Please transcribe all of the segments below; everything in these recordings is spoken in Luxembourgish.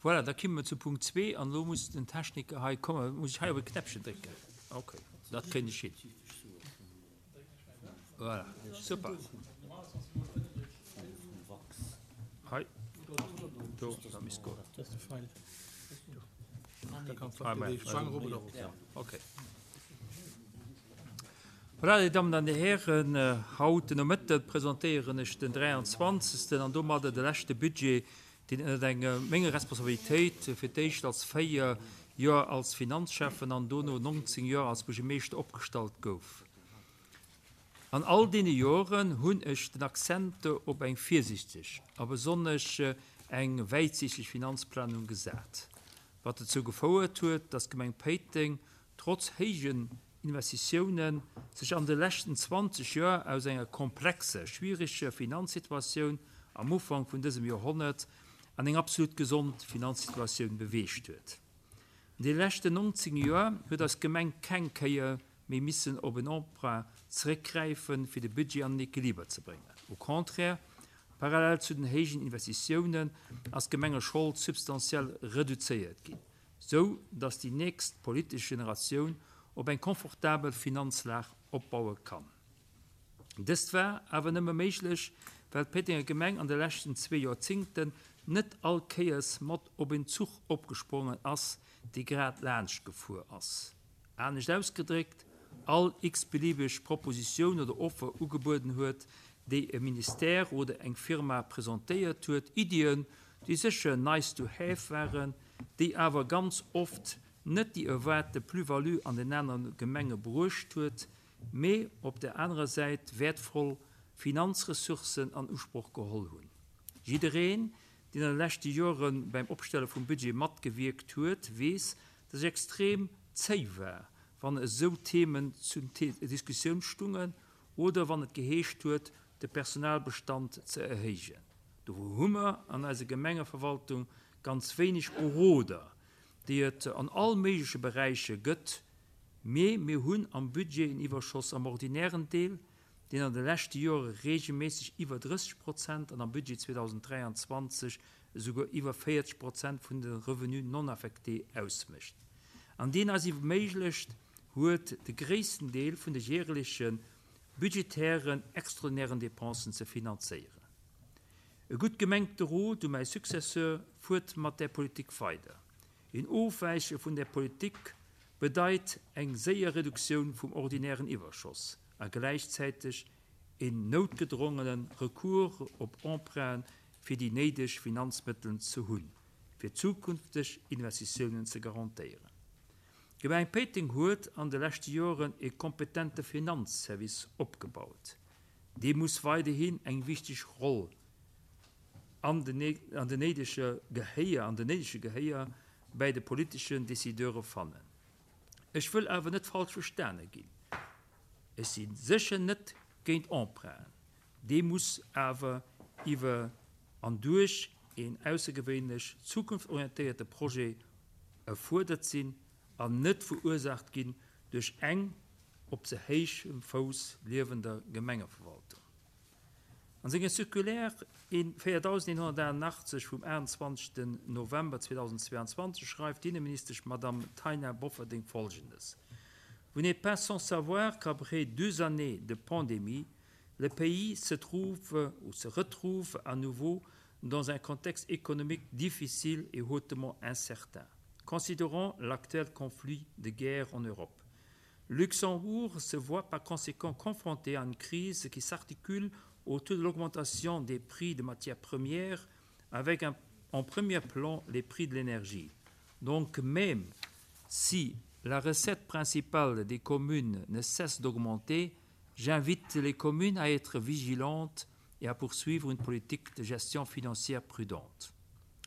Voilà, da kimme mer zu Punkt zwee an elo muss den Techniker hei kommen. Muss ech hei op e Knäppchen drécken? Okay, dat kréien ech hin. Voilà, super. Hei, do, dat misst goen. Okay. Voilà, Dir Dammen an Dir Hären, haut den Nomëtte presentéieren ech den 23. an domadder de leschte Budget, deen ënnert eng menger Responsabilitéit fir d'éischt als 4 Joer als Finanzschäffen an dono 19 Joer als Buergermeeschter opgestallt gouf. An all deene Joren hunn ech den Accent op eng virsichteg a besonnesch eng wäitsiichteg Finanzplanung gesat, wat dozou gefouert huet, dass d'Gemeng Péiteng trotz héijen Investitiounen sech an de leschten 20 Joer aus enger komplexer, schwiereger Finanzsituatioun am Ufank vun dësem Joerhonnert an eng absolut gesond Finanzsituatioun beweegt huet. An de leschten 19 Joer huet eis Gemeng keng Kéier méi missen op en Emprunt zeréckgräifen, fir de Budget an den Equiliber ze bréngen. Au contraire, parallel zu den héijen Investitiounen ass d'Gemengeschold substantiell reduzéiert ginn. sou dass déi nächst politesch Generatioun op eng confortabel Finanzlag opbaue kann. Dëst war awer nëmme méiglech, well d'Péitenger Gemeng an de leschten zwee Joerzingten net all Kéiers mat op en Zuch opgesprongen ass, dee grad laanscht gefuer ass. Anescht ausgedréckt, all x-beliebeg Propositioun oder Offer ugebueden huet, déi e Ministère oder eng Firma presentéiert huet, Iddien, déi sécher nice to have waren, déi awer ganz oft net déi erwaarte Plus-value an den anere Gemenge bruecht huet, mee op der anerer Säit wäertvoll Finanzressourcen an Usproch geholl hunn. Jiddereen, deen an de leschte Jore beim Opstelle vum Budget matgewierkt huet, weess, dass ech extrem zéi war, wann esou Themen zur Diskussioun stungen oder wann et geheescht huet, de Personalbestand ze erhéijen. Do hu mer an eiser Gemengeverwaltung ganz wéineg Beroder, déi et an all méigleche Beräicher gëtt, mee mir hunn am Budget en Iwwerschoss am ordinären Deel, deen an de leschte Jore regelméisseg iwwer 30 Prozent an am Budget 2023 esouguer iwwer 40 Prozent vun de Revenus non affectés ausmécht an deen eis erméiglecht huet, de gréissten Deel vun de jäerleche budgetären extraordinären Dépensen ze finanzéieren. E gutt gemengte Rot u mäi Successeur, Fuert mat där Politik weider. Een Ofwäiche vun där Politik bedeit eng séier Reduktioun vum ordinären Iwwerschoss a gläichzäiteg een noutgedrongene Recours op Emprunten, fir déi néideg Finanzmëtteln ze hunn, fir zukünfteg Investitiounen ze garantéieren. D'Gemeng Péiteng huet an de leschte Joren e kompetente Finanzservice opgebaut. Dee muss weiderhin eng wichteg Roll an den néidege Gehéier an den néidege Gehéier bäi de politeschen Decideure fannen. Ech wëll awer net falsch verstane ginn. Ech si sécher net géint Emprunten. Dee muss awer iwwer an duerch een aussergewéinlech zukunftsorientéierte Projet erfuerdert sinn an net verursaacht ginn duerch eng op ze héichem Fouss liewender Gemengeverwaltung. An senger Circulaire 4188 vum 28 November 2022 schreift d'Inneministesch Madame Taina Bofferding Folgendes, Vous n'êtes pas sans savoir qu'après deux années de pandémie, le pays se trouve ou se retrouve à nouveau dans un contexte économique difficile et hautement incertain. Considérant l'actuel conflit de guerre en Europe, Luxembourg se voit par conséquent confronté à une crise qui s'articule autour de l'augmentation des prix de matières premières avec un, en premier plan les prix de l'énergie. Donc même si la recette principale des communes ne cesse d'augmenter, j'invite les communes à être vigilantes et à poursuivre une politique de gestion financière prudente.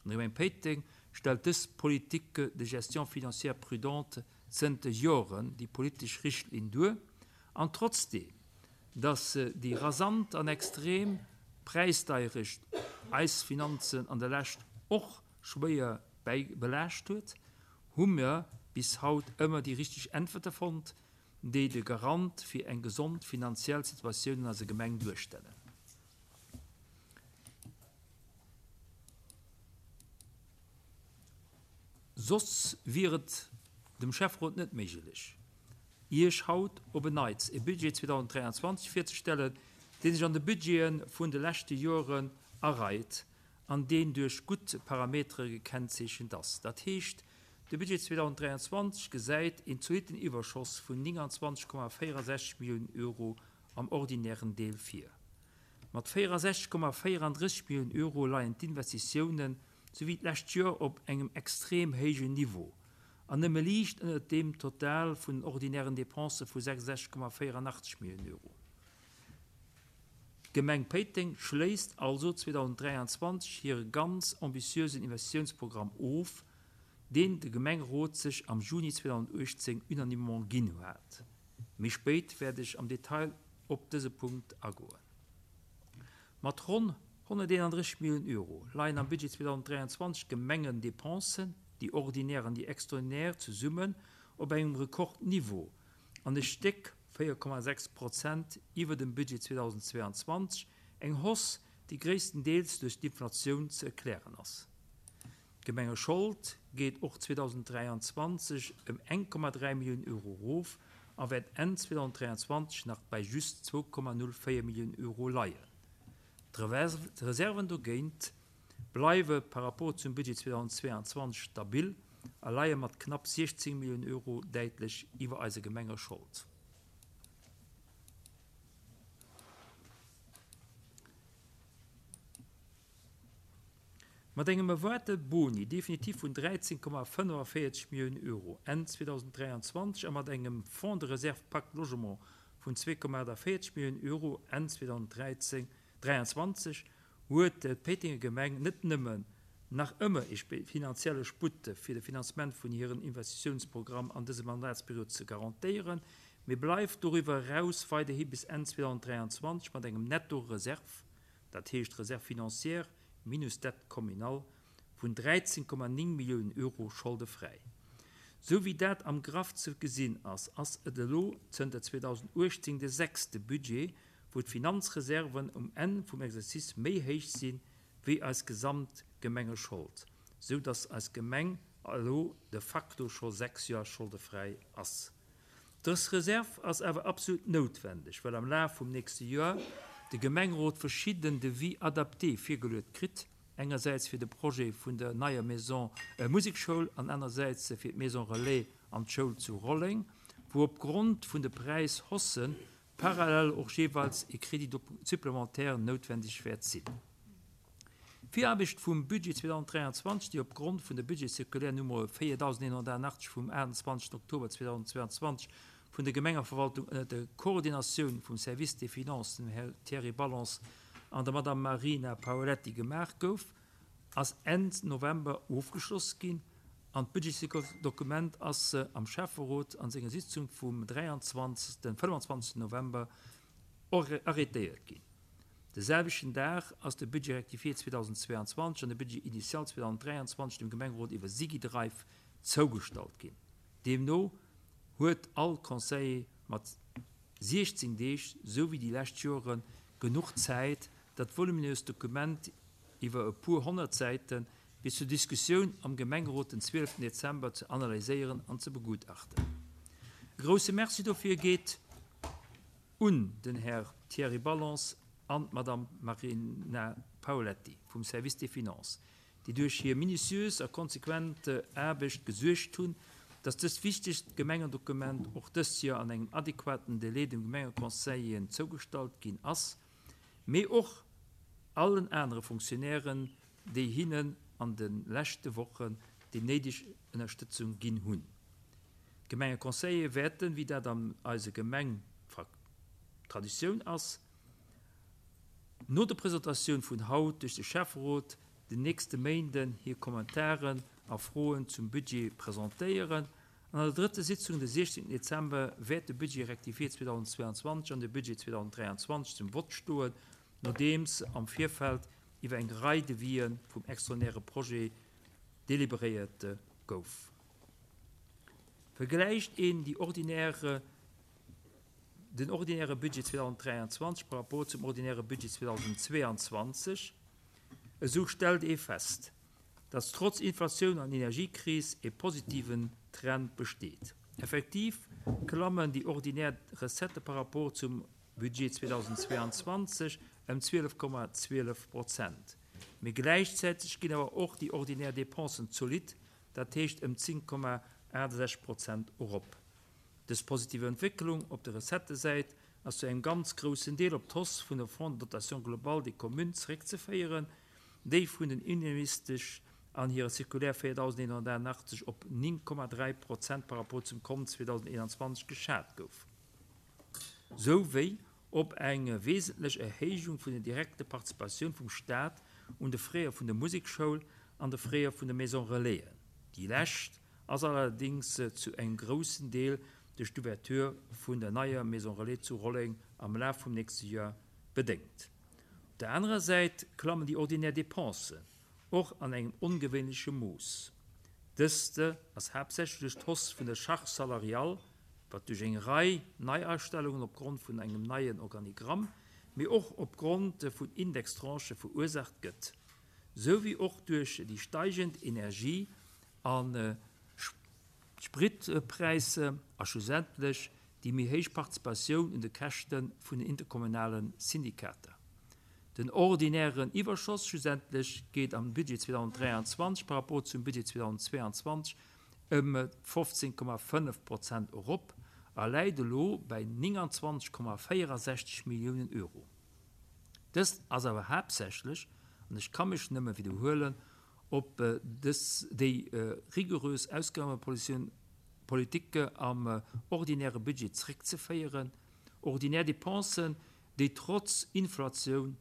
D'Gemeng Péiteng stellt dës Politique de gestion financière prudente zënter Joren déi politesch Richtlinn duer, an trotzdeem, datt déi rasant an extrem Präisdeierecht eis Finanzen an der Lescht och schwéier belaascht huet, hu mer bis haut ëmmer déi richteg Äntwerte fonnt, déi de Garant fir eng gesond finanziell Situatioun an eiser Gemeng duerstellen. Soss wier et dem Schäfferot net méiglech, Iech haut op en Neits e Budget 2023 virzestellen, dee sech an de Budgete vun de leschte Joren areit an deen duerch gutt Parametere gekennzeechent ass. Dat heescht, de Budget 2023 gesäit een zolitten Iwwerschoss vun 29,64 Milliounen Euro am ordinären Deel vir. Mat 64,34 Milliounen Euro leien d'Investitiounen, sou wéi d'lescht Joer, op engem extrem héijen Niveau an nëmme liicht ënnert deem Total vun den ordinären Depensë vu 66,84 Milliounen Euro. D'Gemeng Péiteng schléisst also 2023 hire ganz ambitiösen Investitiounsprogramm of, deen de Gemengerot sech am Juni 2018 unanimement ginn hat. Méi spéit wäert ech am Detail op dëse Punkt agoen. Mat ronn 131 Milliounen Euro leien am Budget 2023 d'Gemengendepensen, déi ordinär an déi extraordinär, zesummen op engem Rekordniveau an e Stéck, 4,6 Prozent, iwwer dem Budget 2022, eng Hausse, déi gréisstendeels duerch d'Inflatioun ze erklären ass. D'Gemengeschold geet och 2023 ëm 1,3 Milliounen Euro erof a wäert Enn 2023 nach bei just 2,04 Milliounen Euro leien. D'Reserven dogéint bleiwe par rapport zum Budget 2022 stabil a leie mat knapp 16 Milliounen Euro däitlech iwwer eiser Gemengeschold. Mat engem erwaarte Boni definitif vun 13,45 Milliounen Euro Enn 2023 a mat engem Fonds de réserve Pacte Logement vun 2,48 Milliounen Euro Enn 2023 huet d'Péitenger Gemeng net nëmmen nach ëmmer ee finanzielle Sputt fir de Finanzement vun hiren Investitiounsprogramm an dëser Mandatsperiod ze garantéieren, mee bleift doriwwer eraus weiderhi bis Enn 2023 mat engem Netto-Reserve dat heescht Réserve financière minus Dette communale, vun 13,9 Milliounen Euro scholdefräi. Sou wéi dat am Graff ze gesinn ass, ass et elo zënter 2018 de sechste Budget, wou d'Finanzreserven um Enn vum Exercice méi héich si wéi eis gesamt Gemengeschold, sou datt eis Gemeng elo de facto scho 6 Joer scholdefräi ass. Dës Reserv ass awer absolut noutwendeg, well am Laf vum nächste Joer de Gemengerot verschidden Devis adaptés virgeluet kritt, engersäits fir de Projet vun der neier Maison Musekschoul an anersäits fir d'Maison Relais an d'Schoul zu Rolleng, wou opgrond vun de Präishaussen parallel och jeeweils e Crédit supplémentaire noutwendeg wäert sinn. D'Viraarbecht vum Budget 2023, déi opgrond vun der Budgetcirculaire Nummer 4188 vum 28 Oktober 2022 vun der Gemengeverwaltung ënner der Koordinatioun vum Service des Finances, dem Här Thierry Ballance an der Madame Marina Paoletti gemaach gouf, ass Enn November ofgeschloss ginn an d'Budgetsdokument ass am Schäfferot an senger Sitzung vum 23. 25 November arrêtéiert ginn. De selwechten Dag ass de Budget rectifié 2022 an de Budget initial 2023 dem Gemengerot iwwer Sigidrive zougestallt ginn. Deemno huet all Conseiller mat 16 Deeg, sou wéi déi lescht Joren, genuch Zäit, dat voluminöst Dokument iwwer e puer 100 Säite bis zur Diskussioun am Gemengerot den 12 Dezember ze analyséieren an ze begutachten. E grousse Merci dofir geet un den Här Thierry Ballance an d'Madame Marina Paoletti vum Service des Finances, déi duerch hir minutiös a konsequent Aarbecht gesuergt hunn, dass dëst wichtegt Gemengendokument och dëst Joer an engem adequaten Délai dem Gemengeconseillen zougestallt ginn ass, mee och allen anere Fonctionnairen, déi hinnen an de leschte Wochen déi néideg Ënnerstëtzung ginn hunn. D'Gemengeconseiller wäerten, wéi dat an eiser Gemeng Traditioun ass, no der Presentatioun vun haut duerch de Schäfferot den nächste Méinden hir Kommentaren a Froen zum Budget presentéieren. An an der drëtter Sitzung de 16 Dezember wäert de Budget rectifié 2022 an de Budget 2023 zum Vott stoen, nodeems am Virfeld iwwer eng Rei Devisë vum extraordinäre Projet deliberéiert gouf. Vergläicht een déi ordinäre, den ordinäre Budget 2023 par rapport zum ordinäre Budget 2022, esou stellt ee fest. dass trotz Inflatioun an Energiekris e positiven Trend besteet. Effektiv klammen déi ordinär Recettë par rapport zum Budget 2022 ëm 12,12 Prozent. Mee gläichzäiteg ginn awer och déi ordinär Dépensen zolidd, dat heescht ëm 10,68 Prozent erop. Dës positiv Entwécklung op der Recettësäit ass zu engem ganz groussen Deel op d'Hausse vun der Fonds de dotation globale des communes zeréckzeféieren, déi vun den Inneministesch an hirer Circulaire 4188 op 9,3 Prozent par rapport zum Kont 2021 geschat gouf, sou wéi op eng wesentlech Erhéijung vun der direkte Participatioun vum Staat un de Frais vun der Musekschoul an de Frais vun de Maison Relaisen. Déi lescht ass allerdéngs zu engem groussen Deel duerch d'Ouverture vun der neier Maison Relais zu Rolleng am Laf vum nächste Joer bedéngt. Op der anerer Säit klammen déi ordinär Dépensen och an engem ongewéinleche Mooss. Dëst ass haaptsächlech duerch d'Hausse vun der Charge salariale, wat duerch eng Rei Neiastellungen opgrond vun engem neien Organigramm, mee och opgrond vun Indextranchë verursaacht gëtt, sou wéi och duerch déi steigend Energie a Spritpräisser a schlussendlech déi méi héich Participatioun un de Käschte vun den interkommunale Syndikater. Den ordinären Iwwerschoss schlussendlech geet am Budget 2023 par rapport zum Budget 2022 ëm 15,5 Prozent erop a läit elo bäi 29,64 Milliounen Euro. Dëst ass awer haaptsächlech, an ech ka mech nëmme widderhuelen, op dës déi rigorös Ausgabepolitik am ordinäre Budget zréckzeféieren, ordinär Dépensen, déi trotz Inflatioun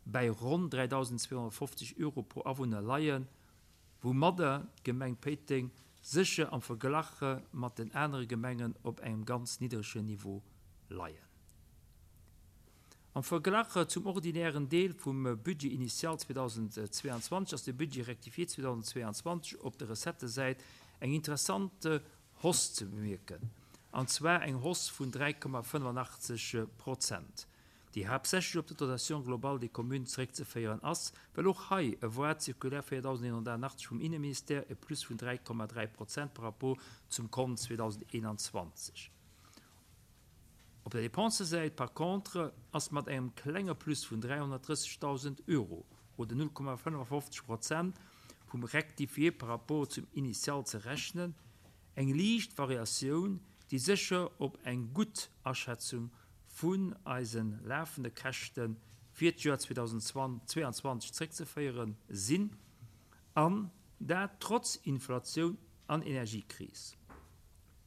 bäi ronn 3.250 Euro pro Awunner leien, woumadder d'Gemeng Péiteng sécher am Verglach mat den anere Gemengen op engem ganz niddregen Niveau leien. Am Verglach zum ordinären Deel vum Budget initial 2022 ass de Budget rectifié 2022 op der Recettësäit eng interessant Hausse ze bemierken, an zwar eng Hausse vun 3,85 Prozent, déi haaptsächlech op de Dotation globale des communes zeréckzeféieren ass, well och hei e voir d'Circulaire 4188 vum Inneministère e Plus vun 3,3 Prozent par rapport zum Kont 2021. Op der Dépensesäit par contre ass mat engem klenge Plus vun 330.000 Euro oder 0,55 Prozent vum Rectifié par rapport zum Initial ze rechnen, eng liicht Variatioun, déi sécher op eng gutt Aschätzung vun eise lafende Käschte fir d'Joer 2022 zréckzeféiere sinn, an dat trotz Inflatioun an Energiekris.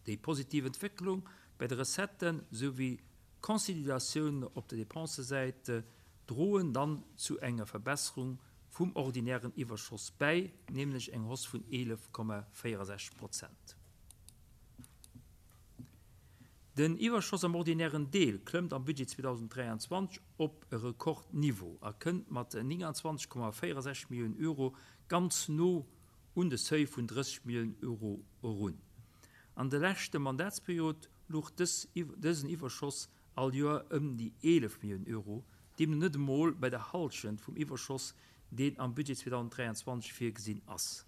Déi positiv Entwécklung bäi de Recetten souwéi d'Consolidatioun op der Dépensesäit droen dann zu enger Verbesserung vum ordinären Iwwerschoss bäi, nämlech eng Hausse vun 11,64 Prozent. Den Iwwerschoss am ordinären Deel klëmmt am Budget 2023 op e Rekordniveau a kënnt mat 29,64 Milliounen Euro ganz no un de Seuil vun 30 Milliounen Euro erun. An der leschte Mandatsperiod louch dësen Iwwerschoss all Joer ëm déi 11 Milliounen Euro, deemno net emol bei der Hallschent vum Iwwerschoss, deen am Budget 2023 virgesinn ass.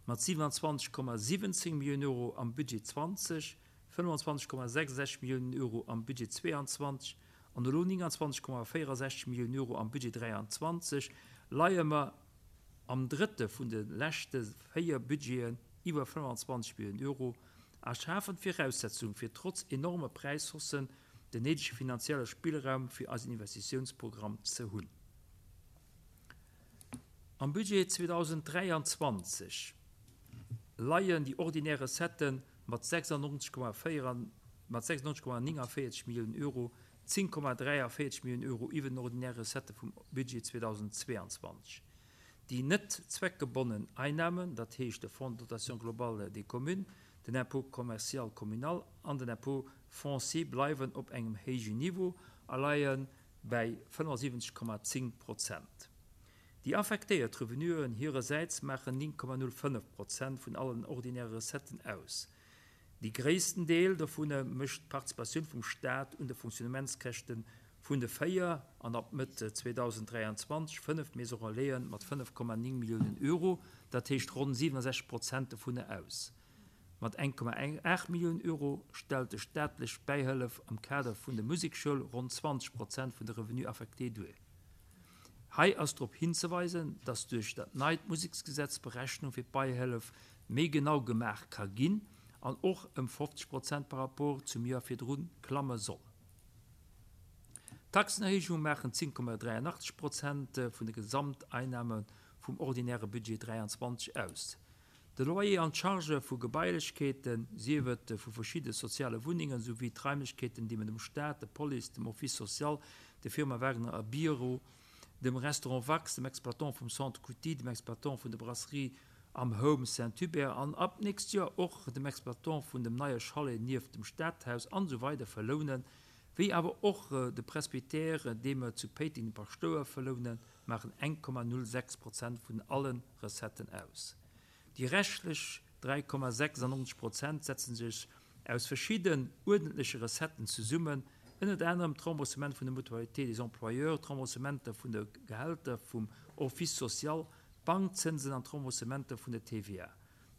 Mat 27,17 Milliounen Euro am Budget 20, 25,66 Milliounen Euro am Budget 22 an elo 29,64 Milliounen Euro am Budget 23 leie mer am drëtte vun de leschte véier Budgeten iwwer 25 Milliounen Euro a schafen d'Viraussetzung fir trotz enorme Präishaussen den néidege finanzielle Spillraum fir eisen Investitiounsprogramm ze hunn. Am Budget 2023 leien déi ordinär Recettë mat 96,49 Milliounen Euro 10,43 Milliounen Euro iwwer den ordinäre Recettë vum Budget 2022. Déi net zweckgebonnen Einnahmen, dat heescht de Fonds de dotation globale des communes, den Impôt commercial communal an den Impôt foncier bleiwen op engem héijen Niveau a leie bäi 75,10 Prozent. Déi affektéiert Revenuen hirersäits maachen 9,05 Prozent vun allen ordinäre Recetten aus. Dee gréissten Deel dovun mécht d'Participatioun vum Staat un de Fonctionnementskäschte vun de véier an ab Mëtt 2023 fënnef Maison-relaisen mat 5,9 Milliounen Euro. dat heescht ronn 67 Prozent dovunner aus. Mat 1,8 Milliounen Euro stellt de staatlech Bäihëllef am Kader vun der Musekschoul ronn 20 Prozent vun de Revenus affectés duer. Hei ass drop hinzeweisen, dass duerch dat neit Museksgesetz d'Berechnung fir d'Beihëllef méi genau gemaach ka ginn an och ëm 50 Prozent par rapport zum Joer virdru klamme soll. D'Taxenerhéijung maachen 10,83 Prozent vun de Gesamteinnahme vum ordinäre Budget 23 aus. De Loyer an d'Chargë vu Gebailechkeeten, sief et vu verschidde soziale Wunnengen, souwéi d'Raimlechkeeten, déi mer dem Staat, der Police, dem Office social, der Firma Wagner a Biro, dem Restaurant Wax, dem Exploitant vum Centre Couty, dem Exploitant vun der Brasserie am Home Saint-Hubert an ab d'nächst Joer och dem Exploitant vun dem neie Chalet nieft dem Stadhaus an esou weider verlounen, wéi awer och de Presbytère, dee mer zu Péiteng dem Paschtouer verlounen, maachen 1,06 Prozent vun alle Recetten aus. Déi reschtlech 3,96 Prozent setze sech aus verschidden uerdentleche Recetten zesummen, ënnert anerem d'Remboursement vun der Mutualité des employeurs, d'Remboursementer vun de Gehälter vum Office social, d'Bankzënsen an d'Remboursementer vun der TVA.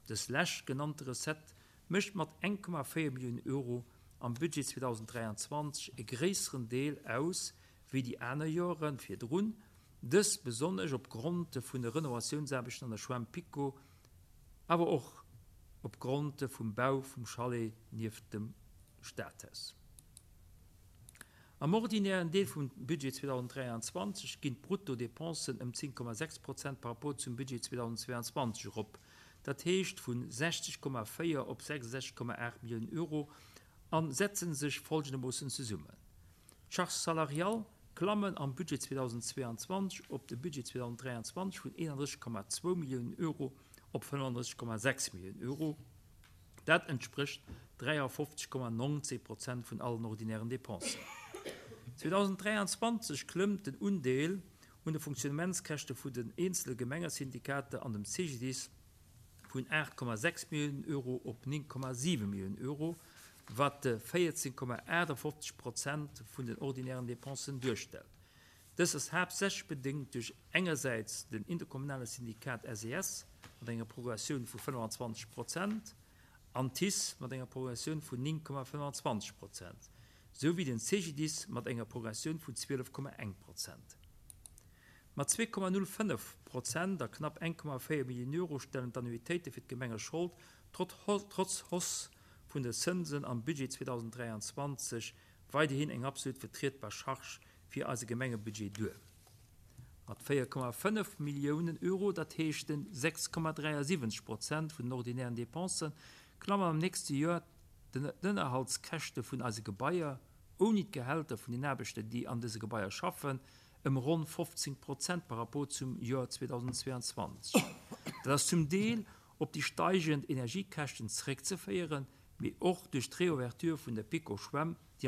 Dës lescht genannte Recette mécht mat 1,4 Milliounen Euro am Budget 2023 e gréisseren Deel aus wéi déi aner Joere virdrun, dëst besonnesch op Grond vun de Renovatiounsaarbechten an der Schwämm PiKo, awer och op Grond vum Bau vum Chalet nieft dem Stadhaus. Am ordinären Deel vum Budget 2023 ginn d'Brutto-Dépensen ëm 10,6 Prozent par rapport zum Budget 2022 erop, dat heescht vu 60,4 op 66,8 Milliounen Euro a setze sech folgendermoossen zesummen. D'Charges salariales klammen am Budget 2022 op de Budget 2023 vun 31,2 Milliounen Euro op 35,6 Milliounen Euro. Dat entsprécht 53,19 Prozent vun allen ordinären Dépensen. 2023 klëmmt den Undeel un de Fonctionnementskäschte vu den eenzele Gemengesyndikater an dem CGDIS vun 8,6 Milliounen Euro op 9,7 Milliounen Euro, wat 14,58 Prozent vun den ordinären Dépensen duerstellt. Dës ass haaptsächlech bedéngt duerch engersäits den interkommunale Syndikat SES mat enger Progressioun vu 25 Prozent an TICE mat enger Progressioun vun 9,25 Prozent, souwéi den CGDIS mat enger Progressioun vun 12,1 Prozent. Mat 2,05 Prozent a knapp 1,4 Milliounen Euro stellen d'Annuitéite fir d'Gemengeschold trotz Hausse vun de Zënsen am Budget 2023 weiderhin eng absolut vertrietbar Charge fir eise Gemengebudget duer. Mat 4,5 Milliounen Euro, dat heescht 6,73 Prozent vun den ordinären Dépensen, klammen am nächste Joer d'Ënnerhaltskäschte vun eise Gebaier, ouni d'Gehälter vun den Aarbechter, déi an dëse Gebaier schaffen, ëm ronn 15 Prozent par rapport zum Joer 2022. Dat ass zum Deel op déi steigend Energiekäschten zeréckzeféieren, mee och duerch d'Reouverture vun der PiKo-Schwämm, déi.